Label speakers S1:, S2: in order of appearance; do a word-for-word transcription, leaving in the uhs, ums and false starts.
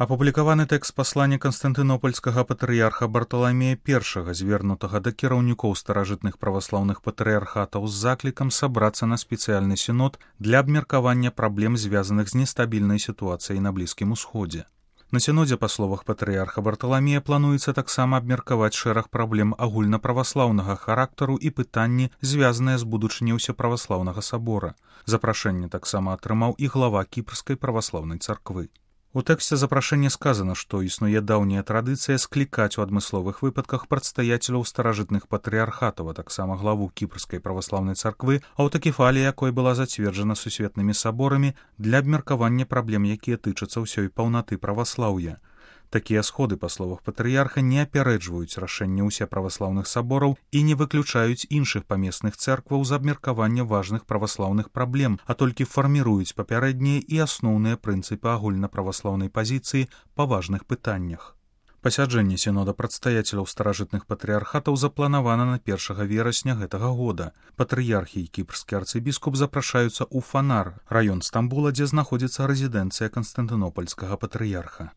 S1: Апублікаваны тэкст паслання канстантынопольскага патрыярха Барталамея першага, звернутага да кіраўнікоў старажытных праваслаўных патрыярхатаў з заклікам сабрацца на спецыяльны сінод для абмеркавання праблем, звязаных з нестабільнай сітуацыяй на Блізкім Усходзе. На сінодзе, па словах патрыярха Барталамея, плануецца таксама абмеркаваць шэраг праблем агульнаправаслаўнага характару і пытанні, звязаныя з будучыняй усеправаслаўнага сабора. Запрашэнне таксама атрымаў і глава Кіпрскай праваслаўнай царквы. У тэксце запрашэння сказана, што існуе даўняя традыцыя склікаць у адмысловых выпадках прадстаяцеляў старажытных патрыярхатаў, а таксама главу Кіпрскай праваслаўнай царквы, аўтакефалія якой была зацверджана сусветнымі саборамі для абмеркавання праблем, якія тычацца ўсёй паўнаты праваслаўя. Такія сходы, па словах патрыярха, не апярэджваюць рашэнне ўсеправаслаўных сабораў і не выключаюць іншых памесных цэркваў з абмеркавання важных праваслаўных праблем, а толькі фарміруюць папярэднія і асноўныя прынцыпы агульнаправаслаўнай пазіцыі па важных пытаннях. Пасяджэнне сінода прадстаяцеляў старажытных патрыярхатаў запланавана на першага верасня гэтага года. Патрыярхі і кіпрскі арцыбіскуп запрашаюцца ў Фанар, раён Стамбула, дзе знаходзіцца рэзідэнцыя канстантынопольскага патрыярха.